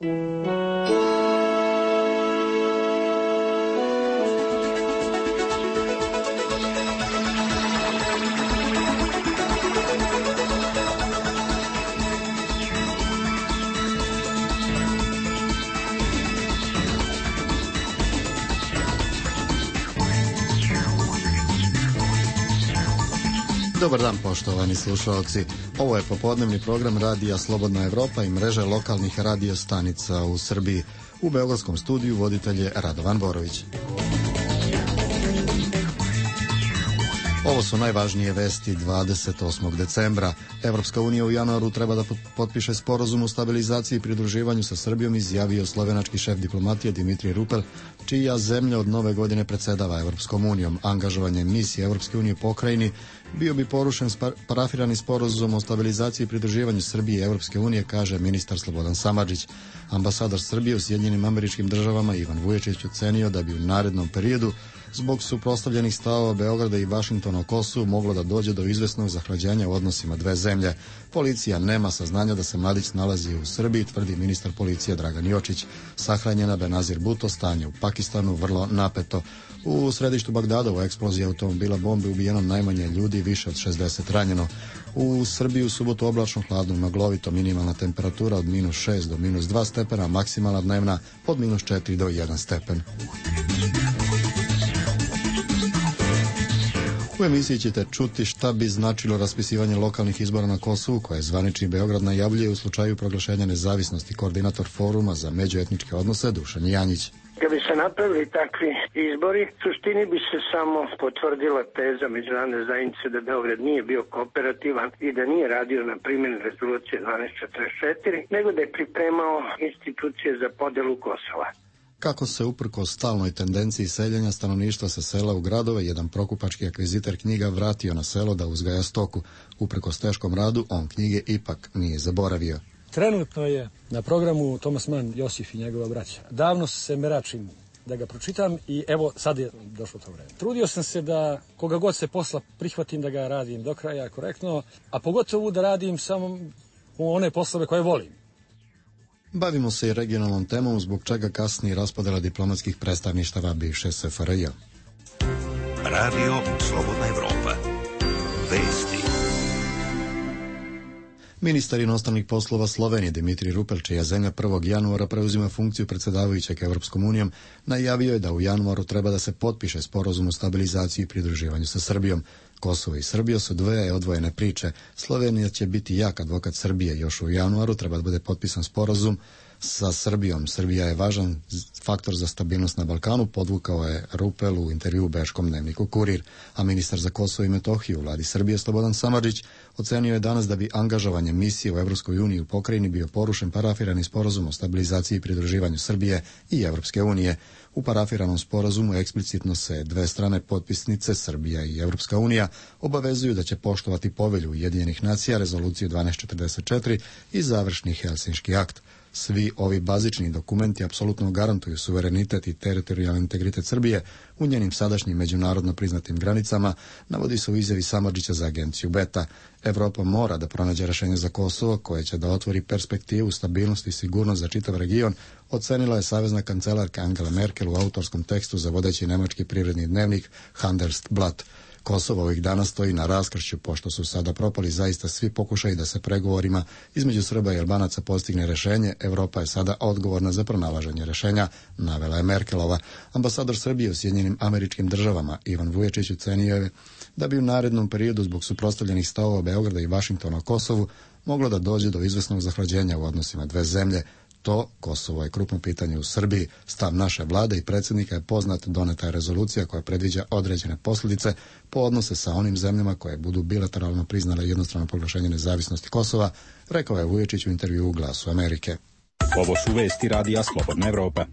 Dobar dan, poštovani slušalci. Ovo je popodnevni program Radija Slobodna Evropa i mreže lokalnih radio stanica u Srbiji. U beogradskom studiju voditelj je Radovan Borović. Ovo su najvažnije vesti 28. decembra. Evropska unija u januaru treba da potpiše sporazum o stabilizaciji i pridruživanju sa Srbijom, izjavio slovenački šef diplomatije Dimitrij Rupel, čija zemlja od nove godine predsedava Evropskom unijom. Angažovanje misije Evropske unije u pokrajini bio bi porušen parafirani sporazum o stabilizaciji i pridruživanju Srbije i Evropske unije, kaže ministar Slobodan Samardžić. Ambasador Srbije u Sjedinjenim Američkim Državama Ivan Vuječić ocenio da bi u narednom periodu zbog suprotstavljenih stavova Beograda i Vašingtona o Kosovu moglo da dođe do izvesnog zahlađenja u odnosima dve zemlje. Policija nema saznanja da se mladić nalazi u Srbiji, tvrdi ministar policije Dragan Jočić. Sahranjena Benazir Bhutto, stanje u Pakistanu vrlo napeto. U središtu Bagdada u eksploziji automobila bombe ubijeno najmanje ljudi, više od 60 ranjeno. U Srbiji u subotu oblačno, hladno, maglovito, minimalna temperatura od -6 do -2 stepena, maksimalna dnevna od -4 do 1 stepen. U emisiji ćete čuti šta bi značilo raspisivanje lokalnih izbora na Kosovu, koje zvanični Beograd najavljuje u slučaju proglašenja nezavisnosti. Koordinator foruma za međuetničke odnose Dušan Janjić. Kad bi se napravili takvi izbori, suštini bi se samo potvrdila teza međunarodne zajednice da Beograd nije bio kooperativan i da nije radio na primjeni rezolucije 1244, nego da je pripremao institucije za podelu Kosova. Kako se uprkos stalnoj tendenciji seljenja stanovništva sa sela u gradove, jedan prokupački akviziter knjiga vratio na selo da uzgaja stoku. Uprkos teškom radu, on knjige ipak nije zaboravio. Trenutno je na programu Tomas Mann, Josif i njegova braća. Davno se meračim da ga pročitam i evo sad je došlo to vreme. Trudio sam se da koga god se posla prihvatim da ga radim do kraja korektno, a pogotovo da radim samo one poslove koje volim. Bavimo se i regionalnom temom, zbog čega kasnije raspodela diplomatskih predstavništava bivše SFRJ. Radio Slobodna Evropa. Vesti. Ministar inostranih poslova Slovenije Dimitrij Rupel, čija zemlja 1. januara preuzima funkciju predsjedavajućeg Evropskom unijom, najavio je da u januaru treba da se potpiše sporazum o stabilizaciji i pridruživanju sa Srbijom. Kosovo i Srbija su dve odvojene priče. Slovenija će biti jak advokat Srbije. Još u januaru treba da bude potpisan sporazum sa Srbijom. Srbija je važan faktor za stabilnost na Balkanu, podvukao je Rupel u intervju u bečkom dnevniku Kurir. A ministar za Kosovo i Metohiju u vladi Srbije Slobodan Samardžić ocenio je danas da bi angažovanje misije u Evropskoj uniji u pokrajini bio porušen parafirani sporazum o stabilizaciji i pridruživanju Srbije i Evropske unije. U parafiranom sporazumu eksplicitno se dve strane potpisnice, Srbija i Evropska unija, obavezuju da će poštovati povelju Ujedinjenih nacija, rezoluciju 1244 i završni Helsinški akt. Svi ovi bazični dokumenti apsolutno garantuju suverenitet i teritorijalni integritet Srbije u njenim sadašnjim međunarodno priznatim granicama, navodi se u izjavi Samardžića za agenciju Beta. Evropa mora da pronađe rešenje za Kosovo koje će da otvori perspektivu, stabilnost i sigurnost za čitav region, ocenila je savezna kancelarka Angela Merkel u autorskom tekstu za vodeći nemački privredni dnevnik Handelsblatt. Kosovo ovih dana stoji na raskršću, pošto su sada propali zaista svi pokušaji da se pregovorima između Srba i Albanaca postigne rešenje. Evropa je sada odgovorna za pronalaženje rešenja, navela je Merkelova. Ambasador Srbije u Sjedinjenim Američkim Državama Ivan Vuječić ocenio je da bi u narednom periodu zbog suprotstavljenih stavova Beograda i Vašingtona o Kosovu moglo da dođe do izvesnog zahlađenja u odnosima dve zemlje. To, Kosovo je krupno pitanje u Srbiji. Stav naše vlade i predsjednika je poznat, doneta je rezolucija koja predviđa određene posljedice po odnose sa onim zemljama koje budu bilateralno priznale jednostrano proglašenje nezavisnosti Kosova, rekao je Vuječić u intervjuu u Glasu Amerike. Ovo su vesti Radija Slobodna Evropa.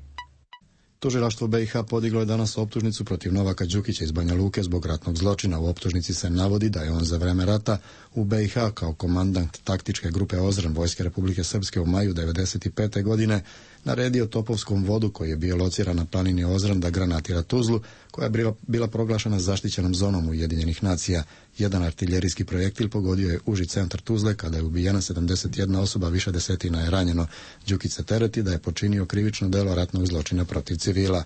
Tužilaštvo BiH podiglo je danas optužnicu protiv Novaka Đukića iz Banja Luke zbog ratnog zločina. U optužnici se navodi da je on za vreme rata u BiH kao komandant taktičke grupe Ozren Vojske Republike Srpske u maju 1995. godine naredio Topovskom vodu, koji je bio lociran na planini Ozran, da granatira Tuzlu, koja je bila proglašena zaštićenom zonom Ujedinjenih nacija. Jedan artiljerijski projektil pogodio je uži centar Tuzle, kada je ubijena 71 osoba, više desetina je ranjeno. Đukić se tereti da je počinio krivično delo ratnog zločina protiv civila.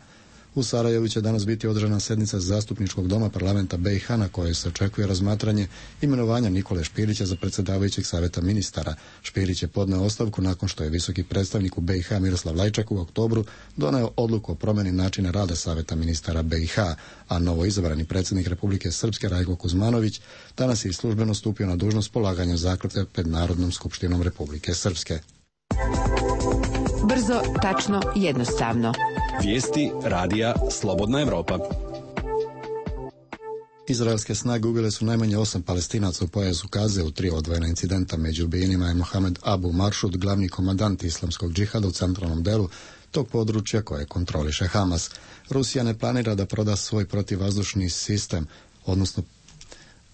U Sarajevu će danas biti održana sednica Zastupničkog doma parlamenta BiH na kojoj se očekuje razmatranje imenovanja Nikole Špirića za predsjedavajućeg savjeta ministara. Špirić je podneo ostavku nakon što je visoki predstavnik u BiH Miroslav Lajčak u oktobru doneo odluku o promjeni načina rada savjeta ministara BiH, a novo izabrani predsjednik Republike Srpske Rajko Kuzmanović danas je službeno stupio na dužnost polaganjem zakletve pred Narodnom skupštinom Republike Srpske. Brzo, tačno, jednostavno. Vijesti radija Slobodna Evropa. Izraelske snage ubile su najmanje 8 Palestinaca u pojasu Gaze u 3 odvojena incidenta. Među ubijenima je Mohamed Abu Maršud, glavni komandant islamskog džihada u centralnom delu tog područja koje kontroliše Hamas. Rusija ne planira da proda svoj protivvazdušni sistem, odnosno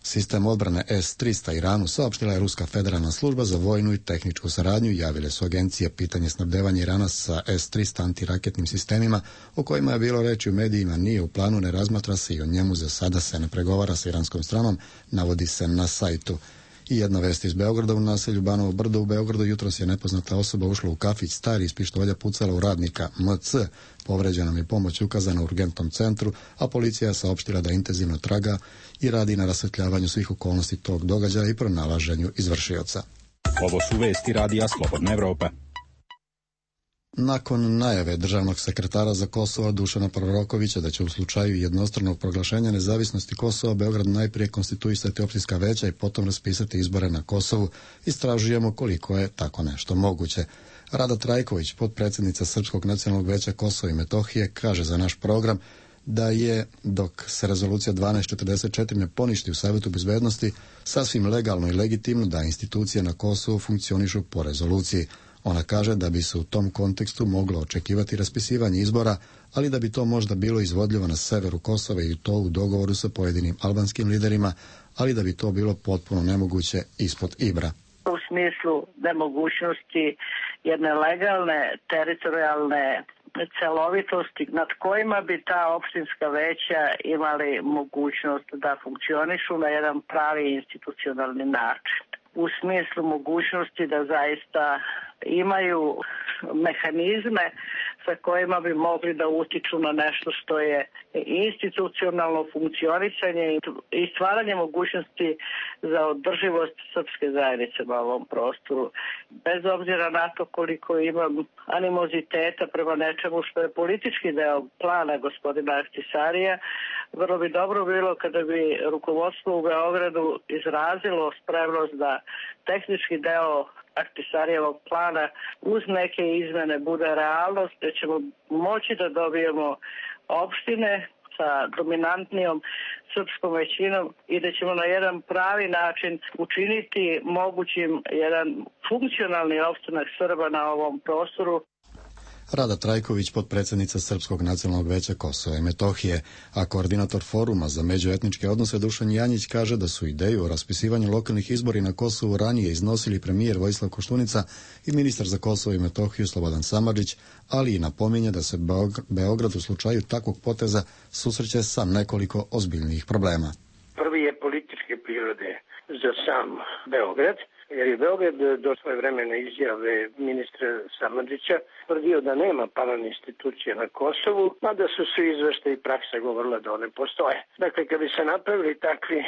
sistem odbrane S-300 Iranu, saopštila je Ruska federalna služba za vojnu i tehničku saradnju. Javile su agencije. Pitanje snabdevanja Irana sa S-300 antiraketnim sistemima, o kojima je bilo reći u medijima, nije u planu, ne razmatra se i o njemu za sada se ne pregovara sa iranskom stranom, navodi se na sajtu. I jedna vest iz Beograda. U naselju Banovo Brdo u Beogradu jutros je nepoznata osoba ušla u kafić Stari, iz pištolja pucala u radnika MC. Povređenom je pomoć ukazana u urgentnom centru, a policija je saopštila da intenzivno traga i radi na rasvetljavanju svih okolnosti tog događaja i pronalaženju izvršioca. Ovo su vesti radija Slobodna Evropa. Nakon najave državnog sekretara za Kosovo Dušana Prorokovića da će u slučaju jednostranog proglašenja nezavisnosti Kosova Beograd najprije konstituisati opštinska veća i potom raspisati izbore na Kosovu, istražujemo koliko je tako nešto moguće. Rada Trajković, potpredsjednica Srpskog nacionalnog veća Kosova i Metohije, kaže za naš program da je, dok se rezolucija 1244 ne poništi u Savjetu bezbednosti, sasvim legalno i legitimno da institucije na Kosovu funkcionišu po rezoluciji. Ona kaže da bi se u tom kontekstu moglo očekivati raspisivanje izbora, ali da bi to možda bilo izvodljivo na severu Kosova i to u dogovoru sa pojedinim albanskim liderima, ali da bi to bilo potpuno nemoguće ispod Ibra. U smislu nemogućnosti jedne legalne, teritorijalne celovitosti nad kojima bi ta opštinska veća imali mogućnost da funkcionišu na jedan pravi institucionalni način. U smislu mogućnosti da zaista imaju mehanizme sa kojima bi mogli da utiču na nešto što je institucionalno funkcionisanje i stvaranje mogućnosti za održivost srpske zajednice na ovom prostoru. Bez obzira na to koliko imam animoziteta prema nečemu što je politički deo plana gospodina Ahtisarija, vrlo bi dobro bilo kada bi rukovodstvo u Beogradu izrazilo spremnost da tehnički deo Ahtisarijevog plana uz neke izmene bude realnost, da ćemo moći da dobijemo opštine sa dominantnijom srpskom većinom i da ćemo na jedan pravi način učiniti mogućim jedan funkcionalni opstanak Srba na ovom prostoru. Rada Trajković, potpredsjednica Srpskog nacionalnog veća Kosova i Metohije, a koordinator foruma za međuetničke odnose Dušan Janjić kaže da su ideju o raspisivanju lokalnih izbora na Kosovu ranije iznosili premijer Vojislav Koštunica i ministar za Kosovo i Metohiju Slobodan Samardžić, ali i napominje da se Beograd u slučaju takvog poteza susreće sa nekoliko ozbiljnijih problema. Prvi je političke prirode za sam Beograd, jer je Beograd do svoje vremene izjave ministra Samardžića tvrdio da nema paralelne institucije na Kosovu, mada su svi izveštaji i praksa govorila da one postoje. Dakle, kad bi se napravili takvi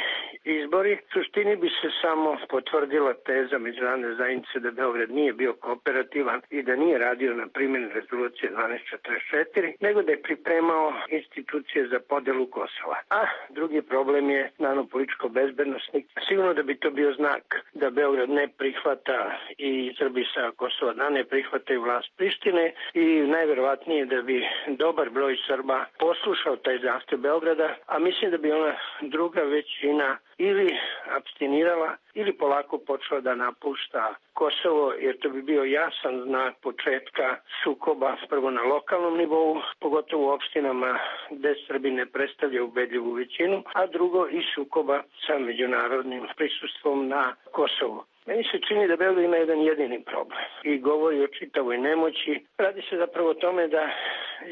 izbori, suštini bi se samo potvrdila teza međunarodne zajednice da Beograd nije bio kooperativan i da nije radio na primjeni rezolucije 1244, nego da je pripremao institucije za podelu Kosova. A drugi problem je naravno političko-bezbednosni. Sigurno da bi to bio znak da Beograd ne prihvata i Srbi sa Kosova da ne prihvataju vlast Prištine i najverovatnije da bi dobar broj Srba poslušao taj zahtev Beograda, a mislim da bi ona druga većina ili abstinirala ili polako počela da napušta Kosovo, jer to bi bio jasan znak početka sukoba prvo na lokalnom nivou, pogotovo u opštinama gde Srbi ne predstavljaju ubedljivu većinu, a drugo i sukoba sa međunarodnim prisustvom na Kosovu. Meni se čini da Beograd ima jedan jedini problem. i govori o čitavoj nemoći. Radi se zapravo o tome da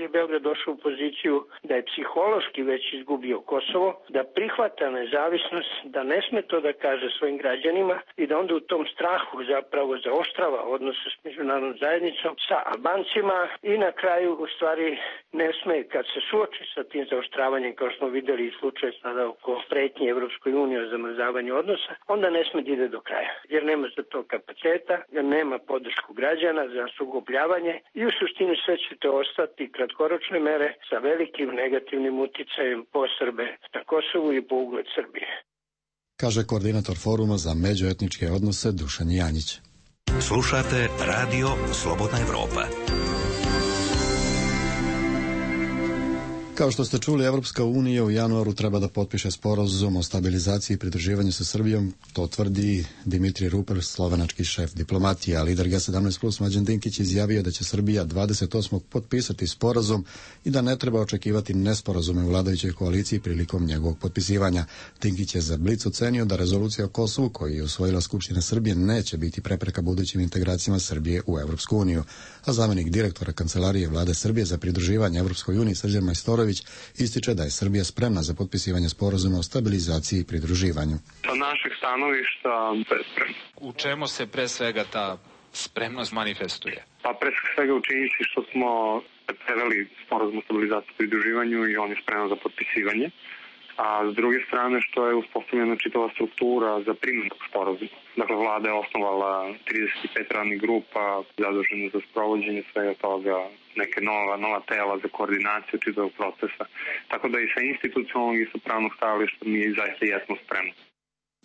je Beograd došao u poziciju da je psihološki već izgubio Kosovo, da prihvata nezavisnost, da ne sme to da kaže svojim građanima i da onda u tom strahu zapravo zaoštrava odnose s međunarodnom zajednicom, sa Albancima i na kraju u stvari ne sme kad se suoči sa tim zaoštravanjem, kao što smo videli i slučaj sada oko pretnje Evropskoj uniji o zamrzavanju odnosa, onda ne sme da ide do kraja, jer nema za to kapaciteta, jer nema podršku građana za sugobljavanje i u suštini sve će to ostati kratkoročne mere sa velikim negativnim uticajem po Srbe na Kosovu i po ugled Srbije. Kaže koordinator foruma za međuetničke odnose Dušan Janjić. Slušate Radio Slobodna Evropa. Kao što ste čuli, Evropska unija u januaru treba da potpiše sporazum o stabilizaciji i pridruživanju sa Srbijom, to tvrdi Dimitrij Rupel, slovenački šef diplomatije, a lider G17+ Mlađan Dinkić izjavio da će Srbija 28. potpisati sporazum i da ne treba očekivati nesporazume u vladajućoj koaliciji prilikom njegovog potpisivanja. Dinkić je za Blic ocenio da rezolucija o Kosovu koju je usvojila Skupština Srbije neće biti prepreka budućim integracijama Srbije u Evropsku uniju, a zamenik direktora Kancelarije Vlade Srbije za pridruživanje Evropskoj uniji Srđan Majstorović ističe da je Srbija spremna za potpisivanje sporazuma o stabilizaciji i pridruživanju. Sa našeg stanovišta bespremno. U čemu se pre svega ta spremnost manifestuje? Pa pre svega u činjenici što smo preveli sporazum o stabilizaciji i pridruživanju i on je spreman za potpisivanje. A s druge strane što je uspostavljena čitava struktura za primjenu sporazuma. Dakle, vlada je osnovala 35 radnih grupa zadužene za sprovođenje svega toga, neke nova tela za koordinaciju čitavog procesa. Tako da i sa institucionalnog i sa pravnog stajališta mi zaista jesmo spremni.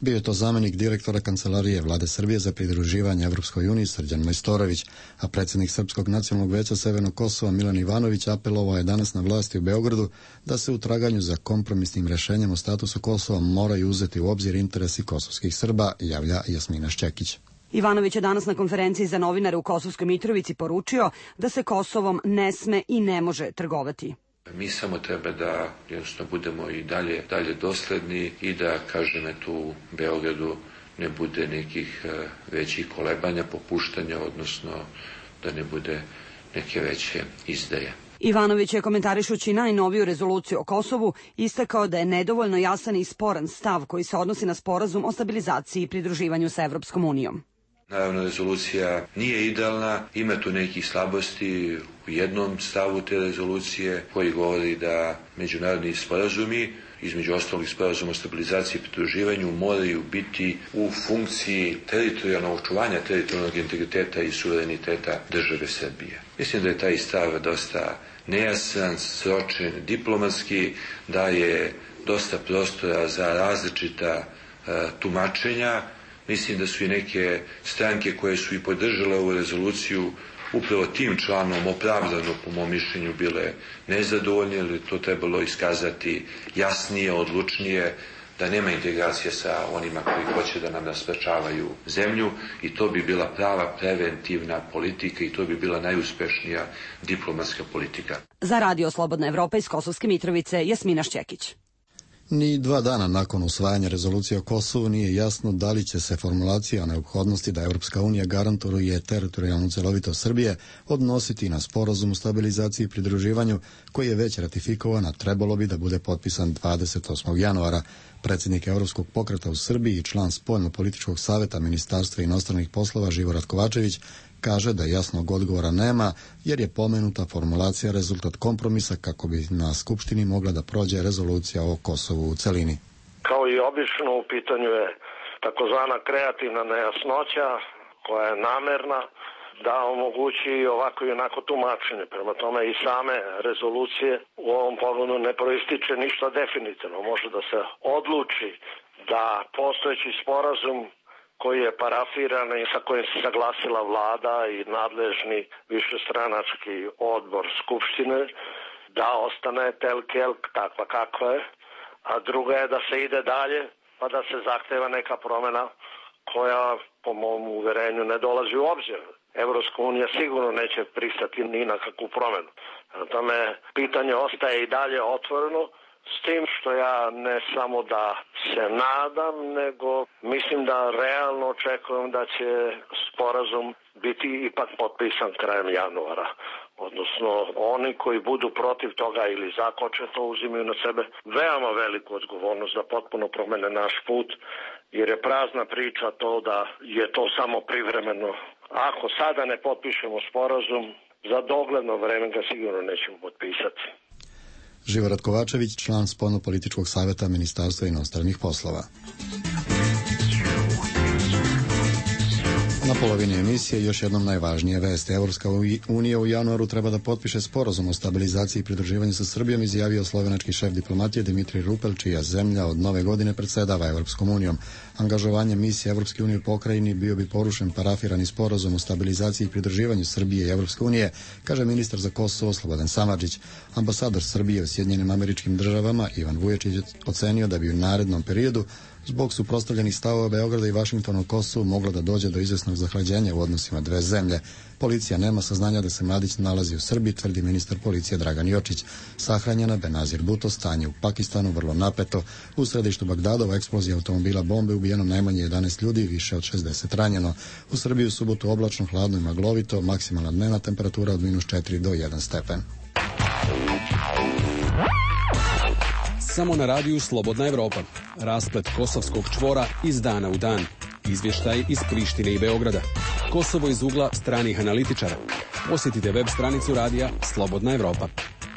Bio je to zamenik direktora Kancelarije Vlade Srbije za pridruživanje Evropskoj uniji Srđan Majstorović, a predsjednik Srpskog nacionalnog veća Severnog Kosova Milan Ivanović apelovao je danas na vlasti u Beogradu da se u traganju za kompromisnim rešenjem o statusu Kosova moraju uzeti u obzir interesi kosovskih Srba, javlja Jasmina Šćekić. Ivanović je danas na konferenciji za novinare u Kosovskoj Mitrovici poručio da se Kosovom ne sme i ne može trgovati. Mi samo treba da jednostavno budemo i dalje dosledni i da, kažem, tu u Beogradu ne bude nekih većih kolebanja, popuštanja, odnosno da ne bude neke veće izdaje. Ivanović je komentarišući najnoviju rezoluciju o Kosovu istakao da je nedovoljno jasan i sporan stav koji se odnosi na sporazum o stabilizaciji i pridruživanju sa Evropskom unijom. Naravno, rezolucija nije idealna, ima tu nekih slabosti u jednom stavu te rezolucije koji govori da međunarodni sporazumi, između ostalih sporazuma o stabilizaciji i pridruživanju, moraju biti u funkciji teritorijalnog očuvanja teritorijalnog integriteta i suvereniteta države Srbije. Mislim da je taj stav dosta nejasan, sročen, diplomatski, da je dosta prostora za različita tumačenja. Mislim da su i neke stranke koje su i podržale ovu rezoluciju upravo tim članom opravdano, po mom mišljenju, bile nezadovoljne, jer je to trebalo iskazati jasnije, odlučnije, da nema integracije sa onima koji hoće da nam raspačavaju zemlju i to bi bila prava preventivna politika i to bi bila najuspešnija diplomatska politika. Za Radio Slobodna Evropa iz Kosovske Mitrovice, Jasmina Šćekić. Ni 2 dana nakon usvajanja rezolucije o Kosovu nije jasno da li će se formulacija o neophodnosti da Evropska unija garantuje teritorijalnu celovitost Srbije odnositi na sporazum o stabilizaciji i pridruživanju koji je već ratifikovan, a trebalo bi da bude potpisan 28. januara. Predsjednik Evropskog pokreta u Srbiji i član spoljno-političkog saveta Ministarstva inostranih poslova Živorad Kovačević kaže da jasnog odgovora nema jer je pomenuta formulacija rezultat kompromisa kako bi na Skupštini mogla da prođe rezolucija o Kosovu u celini. Kao i obično u pitanju je takozvana kreativna nejasnoća koja je namerna da omogući ovako i onako tumačenje. Prema tome i same rezolucije u ovom pogledu ne proističe ništa definitivno. Može da se odluči da postojeći sporazum koji je parafiran i sa kojim se saglasila vlada i nadležni višestranački odbor Skupštine, da ostane telkel takva kakva je, a druga je da se ide dalje pa da se zahteva neka promjena koja po mom uverenju ne dolazi u obzir. Evropska unija sigurno neće pristati ni na kakvu promjenu. Na tome pitanje ostaje i dalje otvoreno S tim što ja ne samo da se nadam, nego mislim da realno očekujem da će sporazum biti ipak potpisan krajem januara. Odnosno, oni koji budu protiv toga ili zakočeto uzimaju na sebe veoma veliku odgovornost da potpuno promene naš put, jer je prazna priča to da je to samo privremeno. Ako sada ne potpišemo sporazum, za dogledno vreme ga sigurno nećemo potpisati. Živorad Kovačević, član Spoljno-političkog savjeta Ministarstva inostranih poslova. Na polovini emisije još jednom najvažnije vesti. Evropska unija u januaru treba da potpiše sporazum o stabilizaciji i pridruživanju sa Srbijom, izjavio slovenački šef diplomatije Dimitrij Rupel, čija zemlja od nove godine predsedava Evropskom unijom. Angažovanje misije Evropske unije u pokrajini bio bi porušen parafirani sporazum o stabilizaciji i pridruživanju Srbije i Evropske unije, kaže ministar za Kosovo Slobodan Samardžić. Ambasador Srbije u Sjedinjenim Američkim Državama Ivan Vujačić ocenio da bi u narednom periodu zbog suprotstavljenih stavova Beograda i Vašingtona o Kosovu moglo da dođe do izvesnog zahlađenja u odnosima dve zemlje. Policija nema saznanja da se mladić nalazi u Srbiji, tvrdi ministar policije Dragan Jočić. Sahranjena Benazir Bhutto, stanje u Pakistanu vrlo napeto. U središtu Bagdadova eksplozija automobila bombe, ubijeno najmanje 11 ljudi i više od 60 ranjeno. U Srbiji u subotu oblačno, hladno i maglovito, maksimalna dnevna temperatura od -4 do 1 stepen. Samo na radiju Slobodna Evropa. Rasplet kosovskog čvora iz dana u dan. Izvještaj iz Prištine i Beograda. Kosovo iz ugla stranih analitičara. Posjetite web stranicu radija Slobodna Evropa.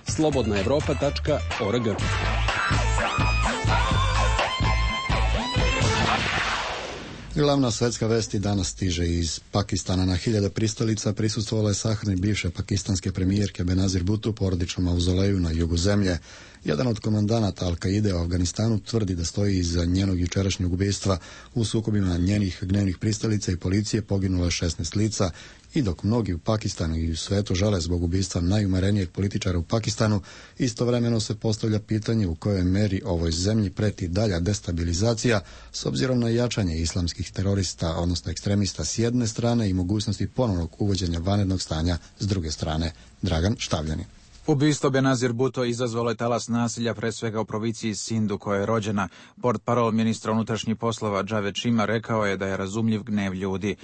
slobodnaevropa.org. Glavna svetska vest danas stiže iz Pakistana. Na hiljada pristalica prisustvovala je sahrani bivše pakistanske premijerke Benazir Bhutto u porodičnom mauzoleju na jugu zemlje. Jedan od komandanata Al-Kaide u Afganistanu tvrdi da stoji iza njenog jučerašnjeg ubistva. U sukobima njenih gnevnih pristalica i policije poginulo je 16 lica. I dok mnogi u Pakistanu i u svetu žale zbog ubistva najumerenijeg političara u Pakistanu, istovremeno se postavlja pitanje u kojoj meri ovoj zemlji preti dalja destabilizacija s obzirom na jačanje islamskih terorista, odnosno ekstremista s jedne strane i mogućnosti ponovnog uvođenja vanrednog stanja s druge strane. Dragan Štavljani. Ubistvo Benazir Bhutto izazvalo je talas nasilja, pre svega u provinciji Sindu, koja je rođena. Portparol ministra unutrašnjih poslova Javed Chima rekao je da je razumljiv gnev ljudi.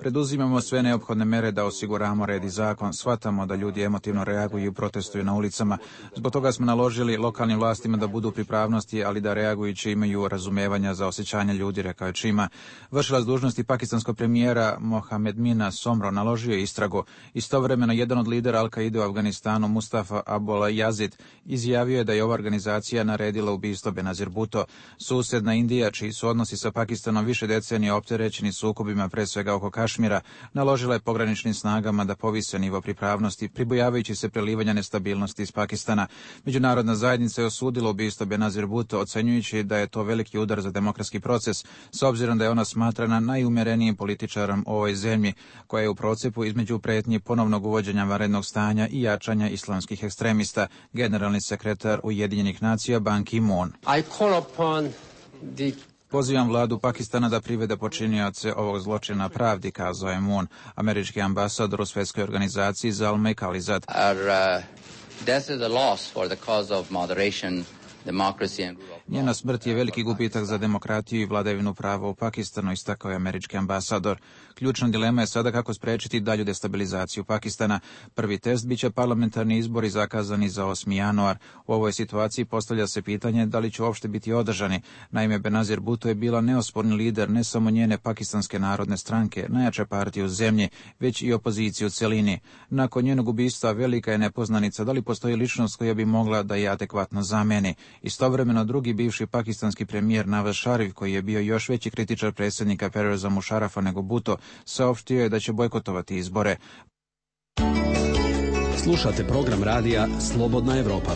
Preduzimamo sve neophodne mere da osiguramo red i zakon. Shvatamo da ljudi emotivno reaguju i protestuju na ulicama. Zbog toga smo naložili lokalnim vlastima da budu u pripravnosti, ali da reagujući imaju razumevanja za osjećanja ljudi, rekao je Chima. Vršilac dužnosti pakistanskog premijera Mohamed Mina Somro naložio je istragu. Istovremeno jedan od lidera Al-Kaide u Afganistanu, Mustafa Abul Yazid, izjavio je da je ova organizacija naredila ubistvo Benazir Bhutto. Susjedna Indija, čiji su odnosi sa Pakistanom više decenija opterećeni sukobima, pre svega oko Kašmira, naložila je pograničnim snagama da povise nivo pripravnosti, pribojavajući se prelivanja nestabilnosti iz Pakistana. Međunarodna zajednica je osudila ubistvo Benazir Bhutto, ocenjujući da je to veliki udar za demokratski proces, s obzirom da je ona smatrana najumerenijim političarom u ovoj zemlji, koja je u procepu između pretnji ponovnog uvođenja vanrednog stanja i jačanja islamskih ekstremista, generalni sekretar Ujedinjenih nacija Ban Ki-moon. Pozivam vladu Pakistana da privede počinioce ovog zločina pravdi, kazao je Moon. Američki ambasador u svjetskoj organizaciji Zalmay Khalilzad. Njena smrt je veliki gubitak za demokratiju i vladavinu prava u Pakistanu, istakao je američki ambasador. Ključna dilema je sada kako sprečiti dalju destabilizaciju Pakistana. Prvi test biće parlamentarni izbori zakazani za 8. januar. U ovoj situaciji postavlja se pitanje da li će uopšte biti održani. Naime, Benazir Bhutto je bila neosporni lider ne samo njene pakistanske narodne stranke, najjače partije u zemlji, već i opozicije u celini. Nakon njenog ubistva velika je nepoznanica da li postoji ličnost koja bi mogla da je adekvatno zameni. Istovremeno drugi bivši pakistanski premijer Nawaz Sharif, koji je bio još veći kritičar predsjednika Perveza Musharafa nego Bhutto, saopštio je da će bojkotovati izbore. Slušate program radija Slobodna Evropa.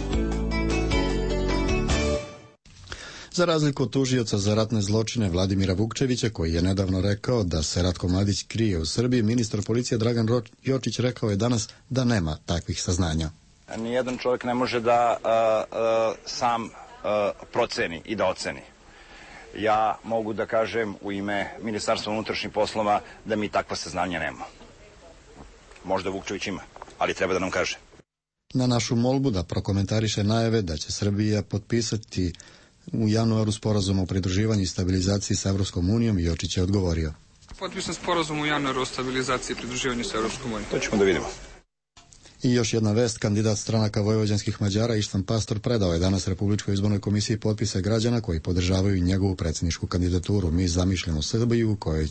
Za razliku od tužioca za ratne zločine Vladimira Vukčevića, koji je nedavno rekao da se Ratko Mladić krije u Srbiji, ministar policije Dragan Jočić rekao je danas da nema takvih saznanja. Nijedan čovjek ne može da sam proceni i da oceni. Ja mogu da kažem u ime Ministarstva unutrašnjih poslova da mi takva saznanja nemamo. Možda Vukčević ima, ali treba da nam kaže. Na našu molbu da prokomentariše najave da će Srbija potpisati u januaru sporazum o pridruživanju i stabilizaciji sa Evropskom unijom, Jočić je odgovorio. Potpisan sporazum u januaru o stabilizaciji i pridruživanju sa Evropskom unijom. To ćemo da vidimo. I još jedna vest, kandidat stranaka vojvođanskih Mađara Ištvan Pastor predao je danas Republičkoj izbornoj komisiji potpise građana koji podržavaju njegovu predsjedničku kandidaturu. Mi zamišljamo Srbiju koji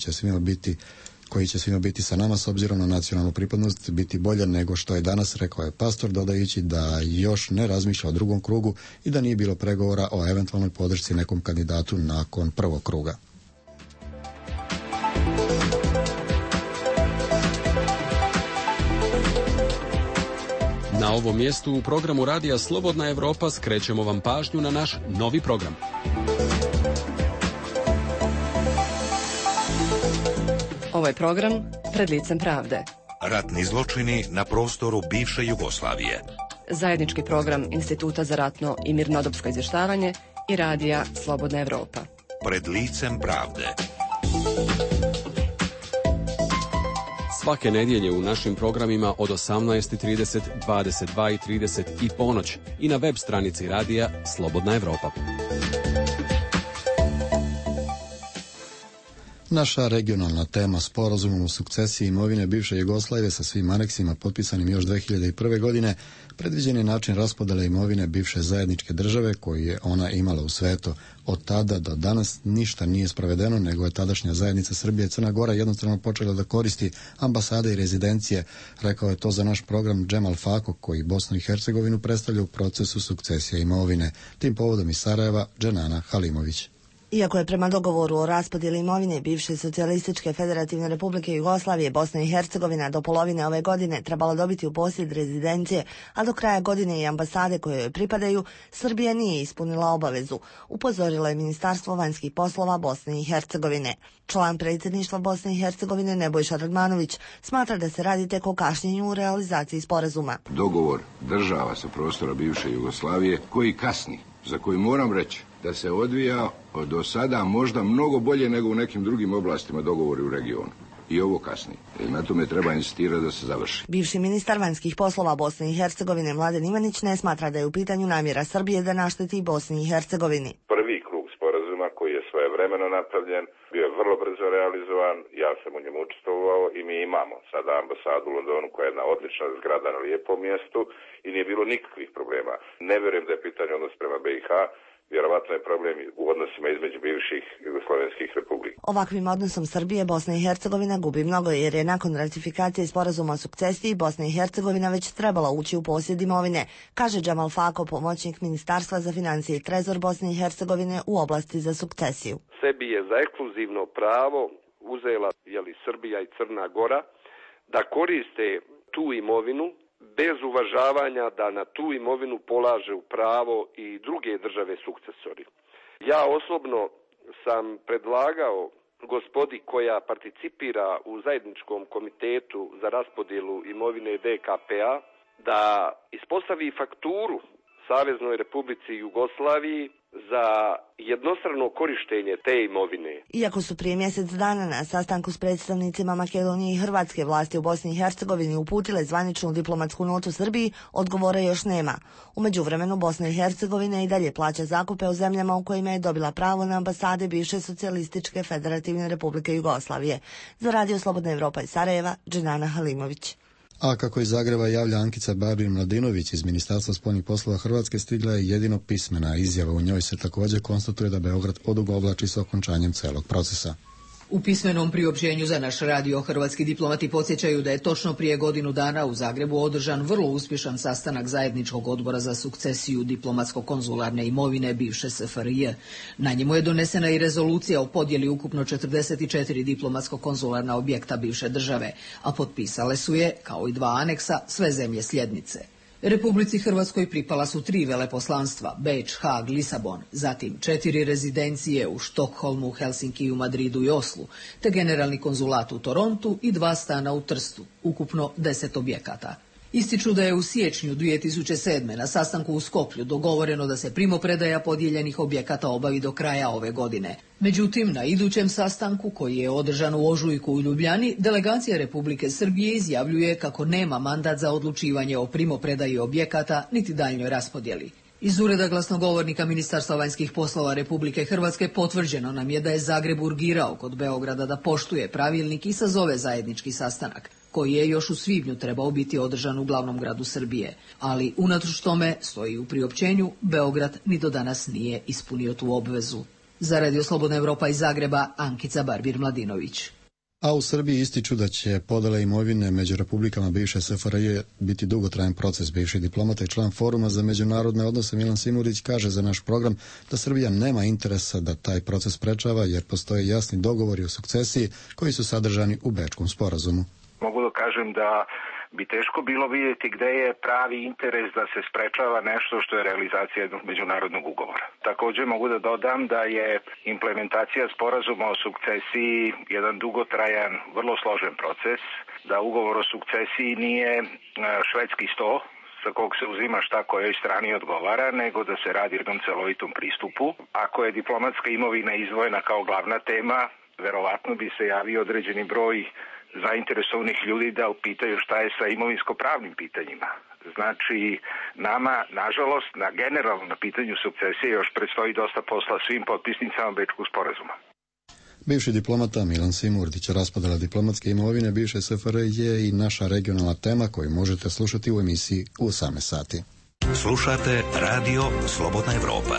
će svima biti sa nama s obzirom na nacionalnu pripadnost biti bolje nego što je danas, rekao je Pastor, dodajući da još ne razmišlja o drugom krugu i da nije bilo pregovora o eventualnoj podršci nekom kandidatu nakon prvog kruga. Na ovom mjestu u programu Radija Slobodna Evropa skrećemo vam pažnju na naš novi program. Ovaj program Pred licem pravde. Ratni zločini na prostoru bivše Jugoslavije. Zajednički program Instituta za ratno i mirnodopsko izvještavanje i Radija Slobodna Evropa. Pred licem pravde. Svake nedjelje u našim programima od 18:30, 22:30 i ponoć i na web stranici Radija Slobodna Evropa. Naša regionalna tema sporazumom o sukcesiji imovine bivše Jugoslavije sa svim aneksima potpisanim još 2001. godine predviđen je način raspodjele imovine bivše zajedničke države koju je ona imala u svetu. Od tada do danas ništa nije sprovedeno, nego je tadašnja zajednica Srbije i Crna Gora jednostavno počela da koristi ambasade i rezidencije. Rekao je to za naš program Džemal Fako, koji Bosnu i Hercegovinu predstavlja u procesu sukcesije imovine. Tim povodom iz Sarajeva, Dženana Halimović. Iako je prema dogovoru o raspodjeli imovine bivše Socijalističke Federativne Republike Jugoslavije Bosna i Hercegovina do polovine ove godine trebala dobiti u posjed rezidencije, a do kraja godine i ambasade koje joj pripadaju, Srbija nije ispunila obavezu, upozorilo je Ministarstvo vanjskih poslova Bosne i Hercegovine. Član predsjedništva Bosne i Hercegovine Nebojša Radmanović smatra da se radi tek o kašnjenju u realizaciji sporazuma. Dogovor država sa prostora bivše Jugoslavije koji kasni, za koji moram reći da se odvija do sada možda mnogo bolje nego u nekim drugim oblastima dogovori u regionu. I ovo kasni. Na tome treba insistirati da se završi. Bivši ministar vanjskih poslova Bosne i Hercegovine Mladen Ivanić ne smatra da je u pitanju namjera Srbije da našteti Bosni i Hercegovini. Prvi krug sporazuma koji je svojevremeno napravljen bio je vrlo brzo realizovan, ja sam u njemu učestvovao i mi imamo sada ambasadu u Londonu koja je jedna odlična zgrada na lijepom mjestu i nije bilo nikakvih problema. Ne vjerujem da je pitanje odnos prema BiH, vjerovatno je problem u odnosima između bivših jugoslovenskih republika. Ovakvim odnosom Srbije Bosna i Hercegovina gubi mnogo jer je nakon ratifikacije sporazuma o sukcesiji Bosna i Hercegovina već trebala ući u posjed imovine, kaže Džemal Fako, pomoćnik Ministarstva za financije i trezor Bosne i Hercegovine u oblasti za sukcesiju. Sebi je za ekskluzivno pravo uzela Srbija i Crna Gora da koriste tu imovinu bez uvažavanja da na tu imovinu polaže u pravo i druge države sukcesori. Ja osobno sam predlagao gospodi koja participira u zajedničkom komitetu za raspodjelu imovine DKP-a da ispostavi fakturu Saveznoj Republici Jugoslaviji za jednostrano korištenje te imovine. Iako su prije mjesec dana na sastanku s predstavnicima Makedonije i Hrvatske vlasti u Bosni i Hercegovini uputile zvaničnu diplomatsku notu Srbiji, odgovora još nema. U međuvremenu Bosna i Hercegovina i dalje plaća zakupe u zemljama u kojima je dobila pravo na ambasade bivše Socijalističke Federativne Republike Jugoslavije. Za Radio Slobodna Evropa iz Sarajeva, Dženana Halimović. A kako iz Zagreba javlja Ankica Babin-Mladinović iz Ministarstva spoljnih poslova Hrvatske, stigla je jedino pismena izjava. U njoj se također konstatuje da Beograd odugovlači s okončanjem celog procesa. U pismenom priopćenju za naš radio hrvatski diplomati podsjećaju da je točno prije godinu dana u Zagrebu održan vrlo uspješan sastanak zajedničkog odbora za sukcesiju diplomatsko-konzularne imovine bivše SFRJ. Na njemu je donesena i rezolucija o podjeli ukupno 44 diplomatsko-konzularna objekta bivše države, a potpisale su je, kao i 2 aneksa, sve zemlje sljednice. Republici Hrvatskoj pripala su 3 veleposlanstva, Beč, Hag, Lisabon, zatim 4 rezidencije u Štokholmu, Helsinkiju, Madridu i Oslu, te generalni konzulat u Torontu i 2 stana u Trstu, ukupno 10 objekata. Ističu da je u siječnju 2007. na sastanku u Skoplju dogovoreno da se primopredaja podijeljenih objekata obavi do kraja ove godine. Međutim, na idućem sastanku, koji je održan u ožujku u Ljubljani, delegacija Republike Srbije izjavljuje kako nema mandat za odlučivanje o primopredaji objekata niti daljnjoj raspodjeli. Iz ureda glasnogovornika Ministarstva vanjskih poslova Republike Hrvatske potvrđeno nam je da je Zagreb urgirao kod Beograda da poštuje pravilnik i sazove zajednički sastanak, koji je još u svibnju trebao biti održan u glavnom gradu Srbije. Ali unatoč tome, stoji u priopćenju, Beograd ni do danas nije ispunio tu obvezu. Za Radio Slobodna Evropa iz Zagreba, Ankica Barbir-Mladinović. A u Srbiji ističu da će podela imovine među republikama bivše SFRJ biti dugotrajan proces. Bivši diplomata i član Foruma za međunarodne odnose Milan Simurić kaže za naš program da Srbija nema interesa da taj proces sprečava jer postoje jasni dogovori o sukcesiji koji su sadržani u Bečkom sporazumu. Mogu da kažem da bi teško bilo vidjeti gde je pravi interes da se sprečava nešto što je realizacija jednog međunarodnog ugovora. Također mogu da dodam da je implementacija sporazuma o sukcesiji jedan dugotrajan, vrlo složen proces, da ugovor o sukcesiji nije švedski sto sa kog se uzima šta kojoj strani odgovara, nego da se radi jednom celovitom pristupu. Ako je diplomatska imovina izdvojena kao glavna tema, verovatno bi se javio određeni broj zainteresovanih ljudi da upitaju šta je sa imovinsko-pravnim pitanjima. Znači, nama, nažalost, generalno na pitanju sukcesije još predstoji dosta posla svim potpisnicama Bečkog sporazuma. Bivši diplomata Milan Simurdić, raspodela diplomatske imovine bivše SFRJ je i naša regionalna tema koju možete slušati u emisiji u 18 sati. Slušate Radio Slobodna Evropa.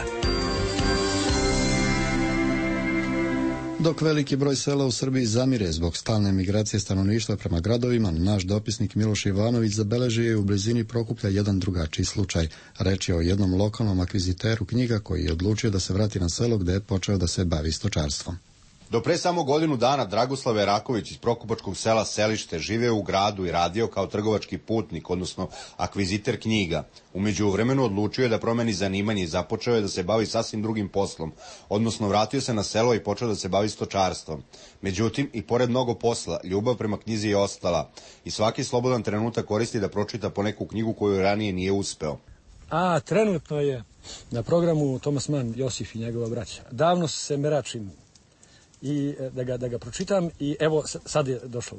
Dok veliki broj sela u Srbiji zamire zbog stalne migracije stanovništva prema gradovima, naš dopisnik Miloš Ivanović zabeležio je u blizini Prokuplja jedan drugačiji slučaj. Reč je o jednom lokalnom akviziteru knjiga koji je odlučio da se vrati na selo gde je počeo da se bavi stočarstvom. Do pre samo godinu dana Dragoslav Eraković iz Prokupačkog sela Selište živeo u gradu i radio kao trgovački putnik, odnosno akviziter knjiga. U međuvremenu odlučio je da promeni zanimanje i započeo je da se bavi sasvim drugim poslom, odnosno vratio se na selo i počeo da se bavi stočarstvom. Međutim, i pored mnogo posla, ljubav prema knjizi je ostala i svaki slobodan trenutak koristi da pročita po neku knjigu koju ranije nije uspeo. Trenutno je na programu Thomas Mann, Josif i njegova braća. Davno se meračim i da ga pročitam i evo sad je došlo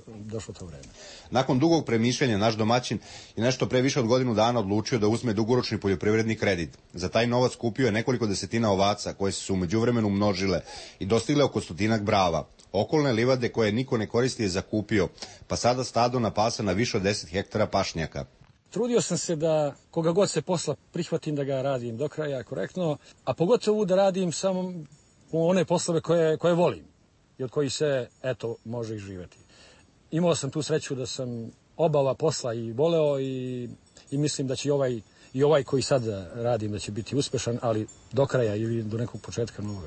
to vreme. Nakon dugog premišljanja naš domaćin je nešto pre više od godinu dana odlučio da uzme dugoročni poljoprivredni kredit. Za taj novac kupio je nekoliko desetina ovaca koje su se u međuvremenu množile i dostigle oko 100 brava. Okolne livade koje niko ne koristi je zakupio, pa sada stado napasa na više od 10 hektara pašnjaka. Trudio sam se da koga god se posla prihvatim da ga radim do kraja korektno, a pogotovo da radim samo one poslove koje volim i od kojih se, može i živjeti. Imao sam tu sreću da sam oba posla i voleo i mislim da će i ovaj koji sad radim da će biti uspešan, ali do kraja ili do nekog početka novog.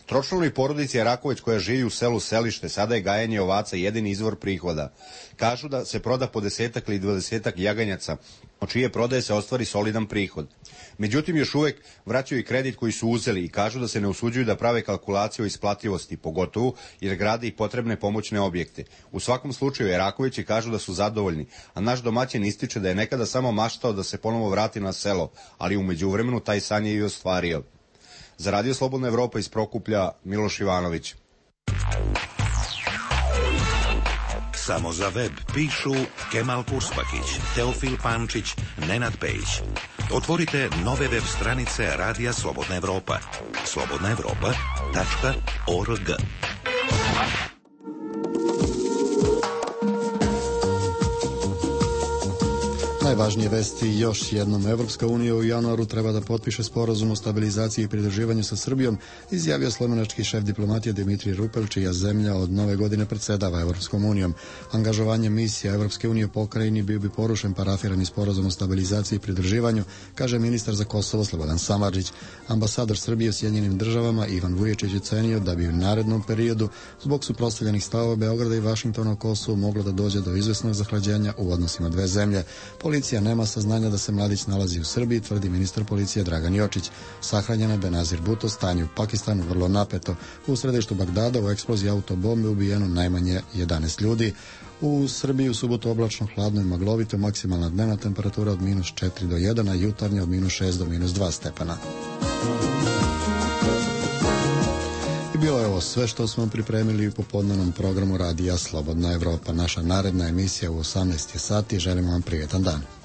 Tročlanoj porodici Eraković koja živi u selu Selište sada je gajenje ovaca jedini izvor prihoda. Kažu da se proda po 10 ili 20 jaganjaca, od čije prodaje se ostvari solidan prihod. Međutim, još uvek vraćaju i kredit koji su uzeli i kažu da se ne usuđuju da prave kalkulaciju o isplativosti, pogotovo jer grade i potrebne pomoćne objekte. U svakom slučaju Erakovići kažu da su zadovoljni, a naš domaćin ističe da je nekada samo maštao da se ponovo vrati na selo, ali u međuvremenu taj san je i ostvario. Za Radio Slobodna Evropa iz Prokuplja, Miloš Ivanović. Samo za web pišu Kemal Kurspakić, Teofil Pančić, Nenad Pejić. Otvorite nove web stranice Radija Slobodna Evropa. slobodnaevropa.org. Najvažnije vesti još jednom. Evropska unija u januaru treba da potpiše sporazum o stabilizaciji i pridruživanju sa Srbijom, izjavio slovenački šef diplomatije Dimitrij Rupel, čija zemlja od nove godine predsjedava Evropskom unijom. Angažovanje misija Evropske unije u pokrajini bio bi porušen parafirani sporazum o stabilizaciji i pridruživanju, kaže ministar za Kosovo Slobodan Samardžić. Ambasador Srbije u Sjedinjenim državama Ivan Vuječić je cenio da bi u narednom periodu zbog suprotstavljenih stavova Beograda i Vašingtona o Kosovu moglo da dođe do izvesnog zahlađenja u odnosima dve zemlje. Policija nema saznanja da se mladić nalazi u Srbiji, tvrdi ministar policije Dragan Jočić. Sahranjen je Benazir Bhutto, stanje u Pakistanu vrlo napeto. U središtu Bagdada u eksploziji autobombe ubijeno najmanje 11 ljudi. U Srbiji u subotu oblačno, hladno i maglovito, maksimalna dnevna temperatura od -4 do 1, a jutarnja od -6 do -2 stepena. I bilo je ovo sve što smo pripremili u popodnevnom programu Radija Slobodna Evropa. Naša naredna emisija u 18 sati. Želimo vam prijetan dan.